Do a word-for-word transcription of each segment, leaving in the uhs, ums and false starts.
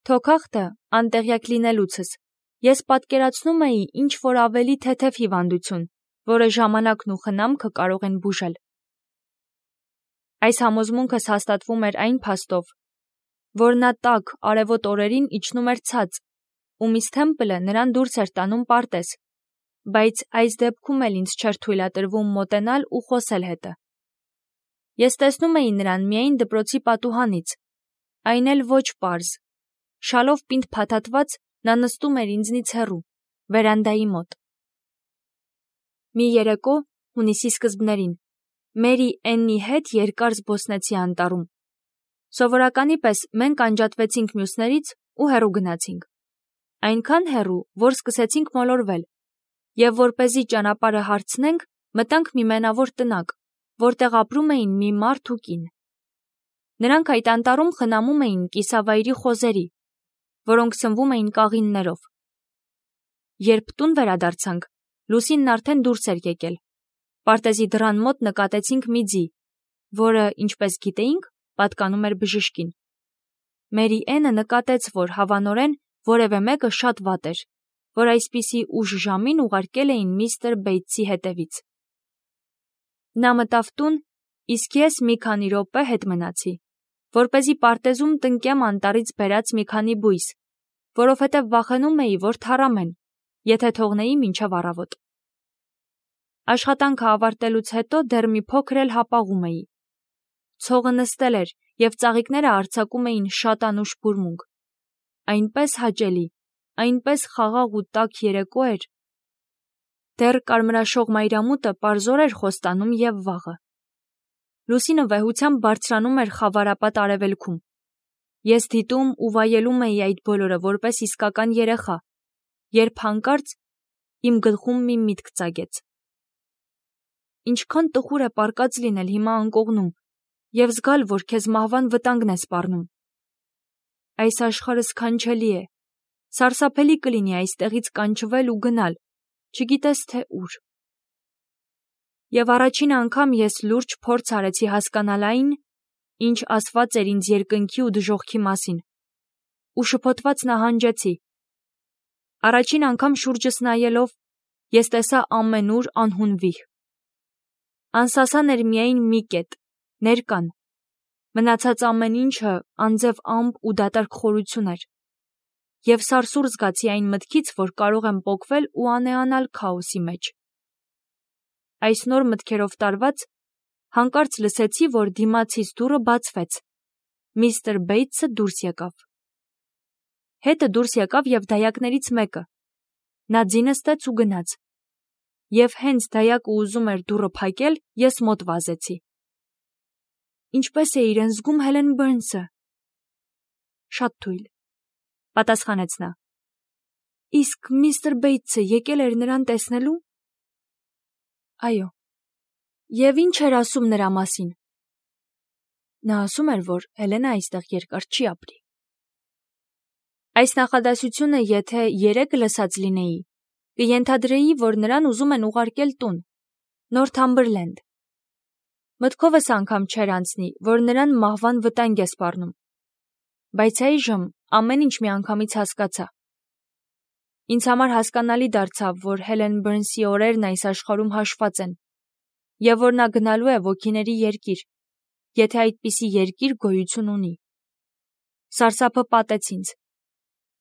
Թոքախտը անտեղյակ լինելուցս ես պատկերացնում էի ինչ-որ ավելի թեթև հիվանդություն, որը ժամանակն ու խնամքը կարող են բուժել։ Այս համոզմունքս հաստատվում էր այն փաստով, որ նա տաք արևոտ օրերին իջնում էր ցած, ու միս Թեմպլը նրան դուրս էր տանում պարտեզ, բայց այս դեպքում էլ ինձ չէր թույլատրվում մոտենալ ու խոսել հետը։ Ես տեսնում էի նրան միայն դպրոցի պատուհանից, այն էլ ոչ պարզ։ Շալով պինդ փաթաթված նա նստում էր ինձնից հեռու, վերանդայի մոտ։ Մի երեկո, հունիսի սկզբներին, Մերի Էննի հետ երկար զբոսնեցի անտառում։ Սովորականի պես մենք անջատվեցինք մյուսներից ու հեռու գնացինք։ Այնքան հեռու, որ սկսեցինք մոլորվել, և որպեսզի ճանապարհը հարցնենք, մտանք մի մենավոր տնակ, որտեղ ապրում էին մի մարդ ու կին։ Նրանք այդ անտառում խնամում էին կիսավայրի խոզերի, որոնք սնվում էին կաղիններով։ Երբ տուն վերադարձանք, լուսինն արդեն դուրս էր եկել։ Պարտեզի դռան մոտ նկատեցինք մի ձի, որը, ինչպես գիտեինք, պատկանում էր բժշկին։ Մերի Էնը նկատեց, որ հավանորեն որևէ մեկը շատ վատ էր, որ այսպիսի ուշ ժամին ուղարկել էին միստր Բեյթսի հետևից։ Նա մտավ տուն, իսկ ես մի քանի րոպե հետ մնացի, որպեսզի պարտեզում տնկեմ անտառից բերած մի քանի բույս, որովհետև վախենում էի, որ թառամեն, եթե թողնեի մինչև առավոտ։ Աշխատանքը ավարտելուց հետո դեռ մի փոքր էլ հապաղում էի։ Ցողը նստել էր, և ծաղիկները արձակում էին շատ անուշ բուրմունք։ Այնպես հաճելի, այնպես խաղաղ ու տաք երեկո էր։ Դեռ կարմրաշող մայրամուտը պարզոր էր խոստանում և վաղը։ Լուսինը վեհությամբ բարձրանում էր խավարապատ արևելքում։ Ես դիտում ու վայելում էի այդ բոլորը որպես իսկական երեխա, երբ հանկարծ իմ գլխում մի միտք ծագեց։ Ինչքան տխուր է պառկած լինել հիմա անկողնում և զգալ, որ քեզ մահվան վտանգն է սպառնում։ Այս աշխարհը սքանչելի է, սարսափելի կլինի այստեղից կանչվել ու գնալ, չգիտես թե ուր։ Եվ առաջին անգամ ես լուրջ փորձ արեցի հասկանալ այն, ինչ ասված էր ինձ երկնքի ու դժոխքի մասին, ու շփոթված նահանջեցի։ Առաջին անգամ շուրջս նայելով, ես տեսա ամենուր անհուն վիհ։ Անսասան էր միայն մի կետ, ներկան, մնացած ամեն ինչը անձև ամպ ու դատարկ խորություն էր, և սարսուռ զգացի այն մտքից, որ կարող եմ պոկվել ու անեանալ քաոսի մեջ։ Այս նոր մտքերով տարված, հանկարծ լսեցի, որ դիմացից դուռը բացվեց։ Միստր Բեյթսը դուրս եկավ։ Հետը դուրս եկավ և դայակներից մեկը։ Նա ձի նստեց ու գնաց։ Եվ հենց դայակը ուզում էր դուռը փակել, ես մոտ վազեցի։ Ինչպե՞ս է իրեն զգում Հելեն Բըրնսը։ Շատ թույլ, պատասխանեց նա։ Իսկ միստր Բեյթսը եկել էր նրան տեսնելու։ Այո։ Եվ ինչ էր ասում նրա մասին։ Նա ասում էր, որ Հելենը այստեղ երկար չի ապրի։ Այս նախադասությունը եթե երեկ լսած լինեի, կենթադրեի, որ նրան ուզում են ուղարկել տուն, Նորթամբերլենդ։ Մտքովս անգամ չէր անցնի, որ նրան մահվան վտանգ է սպառնում։ Բայց այժմ ամեն ինչ միանգամից հասկացա։ Ինձ համար հասկանալի դարձավ, որ Հելեն Բըրնսի օրերն այս աշխարհում հաշված են, և որ նա գնալու է ոգիների երկիր, եթե այդպիսի երկիր գոյություն ունի։ Սարսափը պատեց ինձ։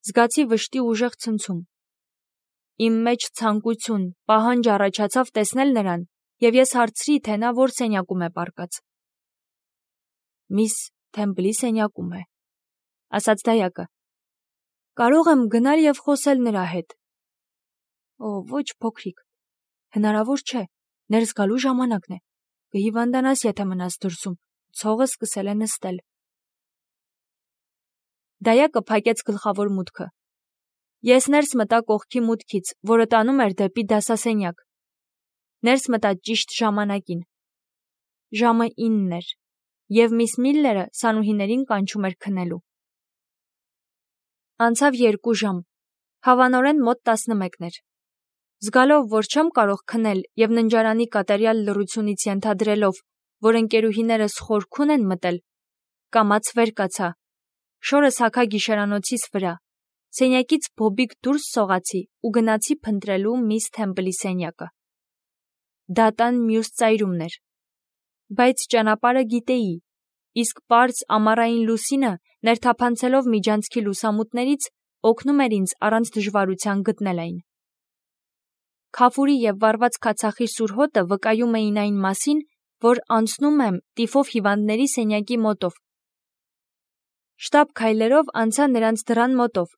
Զգացի վշտի ուժեղ ցնցում։ Իմ մեջ ցանկություն, պահանջ առաջացավ տեսնել նրան, և ես հարցրի, թե նա որ սենյակում է պառկած։ Միս Թեմպլի սենյակում է, ասաց դայակը։ Կարող եմ գնալ և խոսել նրա հետ։ Օ, ոչ փոքրիկ, հնարավոր չէ, ներս գալու ժամանակն է, կհիվանդանաս, եթե մնաս դրսում, ցողը սկսել է նստել։ Դայակը փակեց գլխավոր մուտքը։ Ես ներս մտա կողքի մուտքից, որը տանում էր դեպի դասասենյակ։ Ներս մտա ճիշտ ժամանակին։ Ժամը ինն էր, և միս Միլլերը սանուհիներին կանչում էր քնելու։ Անցավ երկու ժամ, հավանորեն մոտ տասնմեկն էր։ Զգալով, որ չեմ կարող քնել և ննջարանի կատարյալ լռությունից ենթադրելով, որ ընկերուհիներս խորքուն են մտել, կամաց վեր կացա, Շորս հագա գիշերանոցիս վրա, սենյակից բոբիկ դուրս սողացի ու գնացի փնտրելու միս Թեմպլի սենյակը։ Դատան մյուս ծայրումն էր, բայց ճանապարհը գիտեի, իսկ պարզ ամառային լուսինը ներթափանցելով միջանցքի լուսամուտներից օգնում էր ինձ առանց դժվարության գտնել այն։ Քաֆուրի և վառված քացախի սուր հոտը վկայում էին այն մասին, որ անցնում եմ տիֆով հիվանդների սենյակի մոտով։ Շտապ քայլերով անցա նրանց դռան մոտով,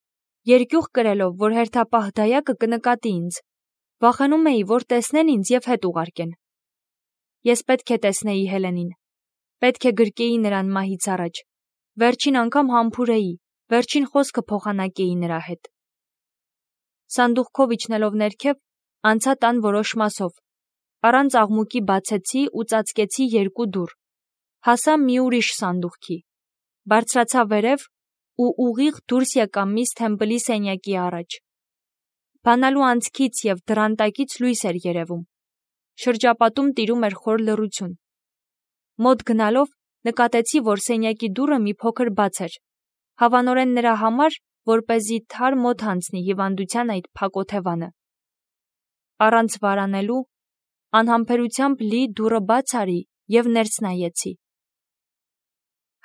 երկյուղ կրելով, որ հերթապահ դայակը կնկատի ինձ, վախենում էի, որ տեսնեն ինձ և հետ ուղարկեն։ Ես պետք է տեսնեի Հելենին, պետք է գրկեի նրան մահից առաջ, վերջին անգամ համբուրեի, վերջին խոսքը փոխանակեի նրա հետ։ Սանդուղքով իջնելով ներքև, անցա տան որոշ մասով, առանց աղմուկի բացեցի ու ծածկեցի երկու դուռ, հասա մի ուրիշ սանդուղքի, բարձրացա վերև ու ուղիղ դուրս եկա միս Թեմպլի սենյակի առաջ։ Բանալու անցքից և դռան տակից լույս էր երևում, շրջապատում տիրում էր խոր լռություն։ Մոտ գնալով նկատեցի, որ սենյակի դուռը մի փոքր բաց էր, հավանորեն նրա համար, որպեսզի թար մոտ հանցնի հիվանդության այդ փակ օթևանը։ Առանց վարանելու, անհամբերությամբ լի դուռը բաց արի և ներս նայեցի։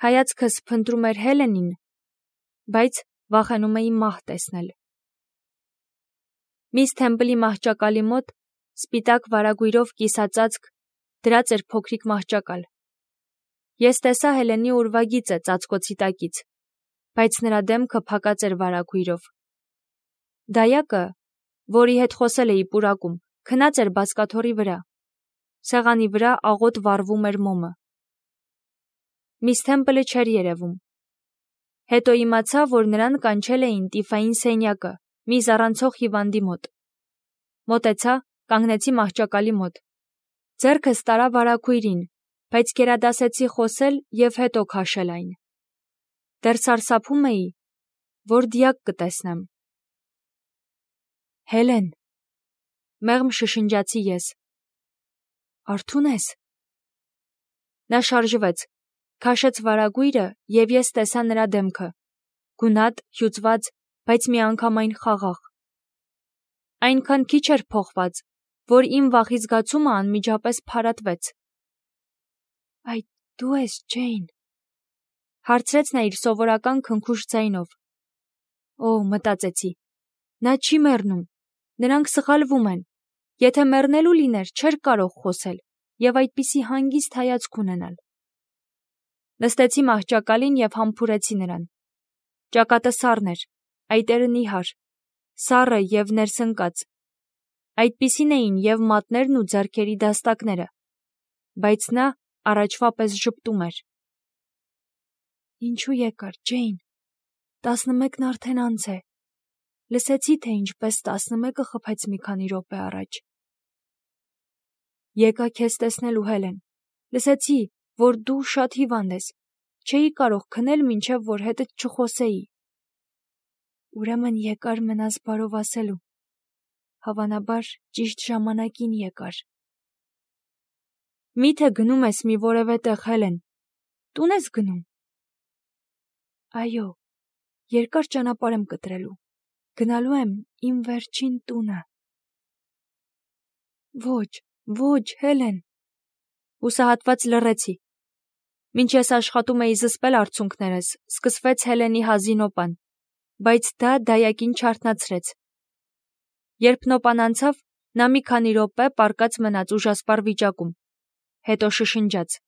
Հայացքս փնտրում էր Հելենին, բայց վախենում էի մահ տեսնել։ Միս Թեմպլի մահճակալի մոտ, սպիտակ վարագույրով կիսածածկ, դրած էր փոքրիկ մահճակալ։ Ես տեսա Հելենի ուրվագիծը ծածկոցի տակից, բայց նրա դեմքը փակած էր վարագույրով։ Դայակը, որի հետ խոսել էի պուրակում, քնած էր բազկաթոռի վրա։ Սեղանի վրա աղոտ վառվում էր մոմը։ Միս Թեմպլը չէր երևում։ Հետո իմացա, որ նրան կանչել էին տիֆային սենյակը, մի զառանցող հիվանդի մոտ։ Մոտեցա, կանգնեցի մահճակալի մոտ։ Ձեռքս տարա վարագույրին, բայց գերադասեցի խոսել և հետո քաշել այն։ Դեռ սարսափում էի, որ դիակ կտեսնեմ։ Հելեն, մեղմ շշնջացի ես։ Արթո՞ւն ես։ Նա շարժվեց, քաշեց վարագույրը և ես տեսա նրա դեմքը, գունատ, հյուծված, բայց միանգամայն խաղաղ։ Այնքան քիչ էր փոխված, որ իմ վախի զգացումը անմիջապես փարատվեց։ Այդ դու ես, Ջեյն, հարցրեց նա իր սովորական քնքուշ ձայնով։ Օ, մտածեցի, նա չի մեռնում, նրանք սխալվում են, եթե մեռնելու լիներ, չէր կարող խոսել և այդպիսի հանգիստ հայացք ունենալ։ Նստեցի մահճակալին և համբուրեցի նրան։ Ճակատը սառն էր, այտերը նիհար, սառը և ներսընկած։ Այդպիսին էին և մատներն ու ձեռքերի դաստակները, բայց նա առաջվա պես ժպտում էր։ Ինչու եկար, Ջեյն, տասնմեկն արդեն անց է։ Լսեցի, թե ինչպես տասնմեկը խփեց մի քանի րոպե առաջ։ Եկա քեզ տեսնելու, Հելեն, լսեցի, որ դու շատ հիվանդ ես, չէի կարող քնել, մինչև որ հետդ չխոսեի։ Ուրեմն եկար մնաս բարով ասելու, հավանաբար ճիշտ ժամանակին եկար։ Մի՞թե գնում ես մի որևէ տեղ, Հելեն, տո՞ւն ես գնում։ Այո, երկար ճանապարհ եմ կտրելու, գնալու եմ իմ վերջին տունը։ Ոչ, ոչ, Հելեն։ Հուսահատված լռեցի։ Մինչ ես աշխատում էի զսպել արցունքներս, սկսվեց Հելենի հազի նոպան, բայց դա դայակին չարթնացրեց։ Երբ նոպան անցավ, նա մի քանի րոպե պառկած մնաց ուժասպառ վիճակում, հետո շշնջաց.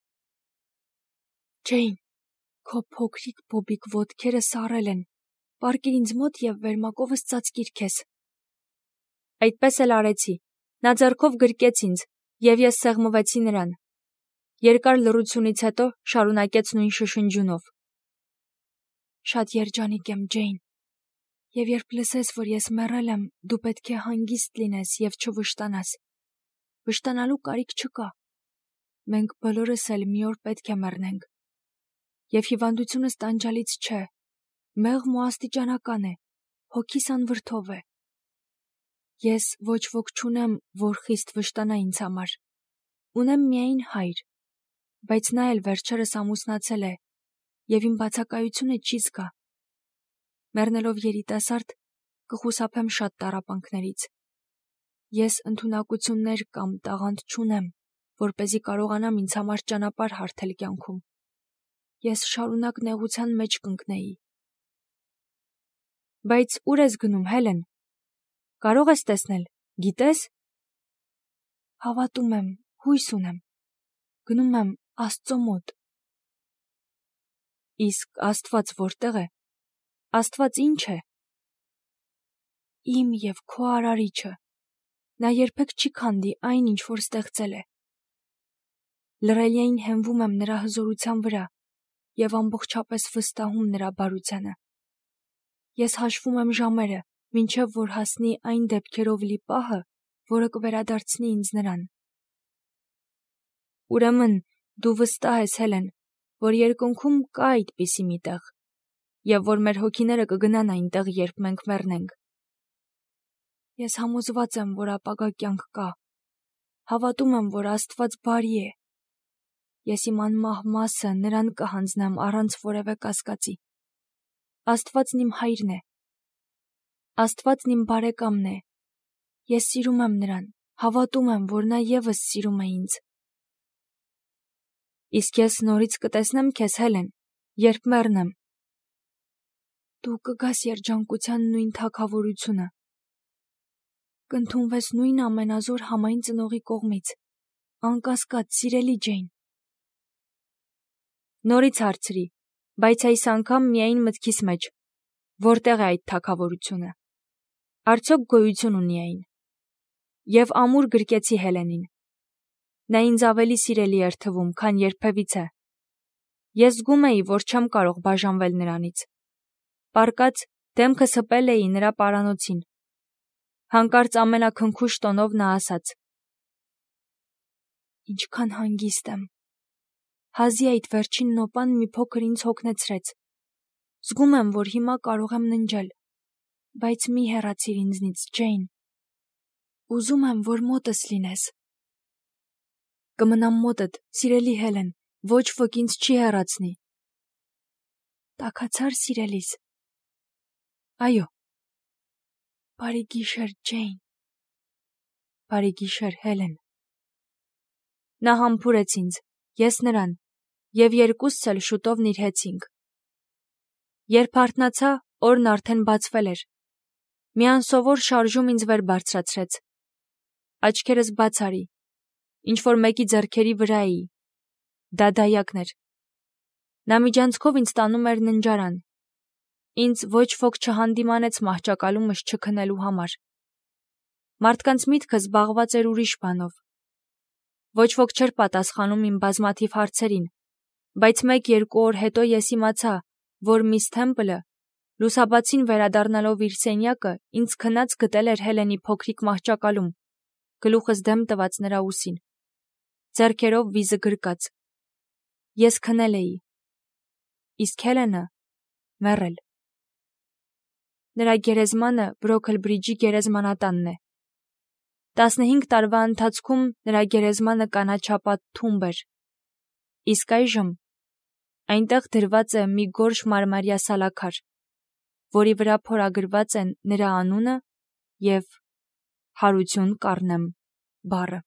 Ջեյն, քո փոքրիկ բոբիկ ոտքերը սառել են, պառկիր ինձ մոտ և վերմակովս ծածկիր քեզ։ Այդպես էլ արեցի, նա ձեռքով գրկեց ինձ, և ես սեղմվեցի նրան։ Երկար լռությունից հետո շարունակեց նույն շշնջյունով. Շատ երջանիկ եմ, Ջեյն, և երբ լսես, որ ես մեռել եմ, դու պետք է հանգիստ լինես և չվշտանաս։ Վշտանալու կարիք չկա։ Մենք բոլորս էլ մի օր պետք է մեռնենք։ Եվ հիվանդությունս տանջալից չէ, մեղմ ու աստիճանական է, հոգիս անվրդով է։ Ես ոչ ոք չունեմ, որ խիստ վշտանա ինձ համար։ Ունեմ միայն հայր, բայց նա էլ վերջերս ամուսնացել է, և իմ բացակայությունը չի զգա, Մեռնելով երիտասարդ, կխուսափեմ շատ տառապանքներից։ Ես ընդունակություններ կամ տաղանդ չունեմ, որպեսզի կարողանամ ինձ համար ճանապարհ հարթել կյանքում։ Ես շարունակ նեղության մեջ կընկնեի։ Բայց ուր ես գնում, Հելեն։ Կարող ես տեսնել, գիտես։ Հավատում եմ, հույս ունեմ։ Գնում եմ Աստծո մոտ։ Իսկ Աստված որտե՞ղ է։ Աստված ի՞նչ է։ Իմ և քո արարիչը։ Նա երբեք չի քանդի այն, ինչ որ ստեղծել է։ Լռելիային հենվում եմ նրա հզորության վրա և ամբողջապես վստահում նրա բարությանը։ Ես հաշվում եմ ժամերը, մինչև որ հասնի այն դեպքերով լի պահը, որը կվերադարձնի ինձ նրան։ Ուրեմն դու վստահ ես, Հելեն, որ երկնքում կա այդպիսի մի տեղ, և որ մեր հոգիները կգնան այնտեղ, երբ մենք մեռնենք։ Ես համոզված եմ, որ ապագա կյանք կա։ Հավատում եմ, որ Աստված բարի է։ Ես իմ անմահ մասը նրան կհանձնեմ առանց որևէ կասկածի։ Աստվածն իմ հայրն է։ Աստվածն իմ բարեկամն է։ Ես սիրում եմ նրան, հավատում եմ, որ նա ևս սիրում է ինձ։ Իսկ ես նորից կտեսնեմ քեզ, Հելեն, երբ մեռնեմ։ Դու կգաս երջանկության նույն թագավորությունը։ Կընդունվես նույն ամենազոր համայն ծնողի կողմից, անկասկած, սիրելի Ջեյն։ Նորից հարցրի, բայց այս անգամ միայն մտքիս մեջ, որտեղ է այդ թագավորությունը։ Արդյոք գոյություն ունի այն։ Եվ ամուր գրկեցի Հելենին։ Նա ինձ ավելի սիրելի էր թվում, քան երբևիցե։ Ես զգում էի, որ չեմ կարող բաժանվել նրանից։ Պառկած դեմքս հպել էի նրա պարանոցին։ Հանկարծ ամենաքնքուշ տոնով նա ասաց. Ինչքան հանգիստ եմ։ Հազի այդ վերջին նոպան մի փոքր ինձ հոգնեցրեց։ Զգում եմ, որ հիմա կարող եմ ննջել, բայց մի հեռացիր ինձնից, Ջեյն։ Ուզում եմ, որ մոտս լինես։ Կմնամ մոտդ, սիրելի Հելեն, ոչ ոք ինձ չի հեռացնի։ Տաքացար, սիրելիս։ Այո։ Բարի գիշեր, Ջեյն։ Բարի գիշեր, Հելեն։ Նա համբուրեց ինձ, ես նրան, և երկուսս էլ շուտով նիրհեցինք։ Երբ արթնացա, օրն արդեն բացվել էր։ Մի անսովոր շարժում ինձ վեր բարձրացրեց։ Աչքերս բաց արի, ինչ-որ մեկի ձեռքերի վրա էի։ Դա դայակն էր։ Նա միջանցքով ինձ տանում էր ննջարան։ Ինձ ոչ ոք չհանդիմանեց մահճակալումս չքնելու համար։ Մարդկանց միտքը զբաղված էր ուրիշ բանով։ Ոչ ոք չէր պատասխանում իմ բազմաթիվ հարցերին, բայց մեկ-երկու օր հետո ես իմացա, որ միս Թեմպլը, լուսաբացին վերադառնալով իր սենյակը, ինձ քնած գտել էր Հելենի փոքրիկ մահճակալում, գլուխս դեմ տված նրա ուսին, ձեռքերով վիզը գրկած։ Ես քնել էի, իսկ Հելենը մեռել։ Նրա գերեզմանը Բրոքլբրիջի գերեզմանատանն է։ Տասնհինգ տարվա ընթացքում նրա գերեզմանը կանաչապատ թումբ էր, իսկ այժմ այնտեղ դրված է մի գորշ մարմարյա սալաքար, որի վրա փորագրված են նրա անունը և «Հարություն կառնեմ» բառը։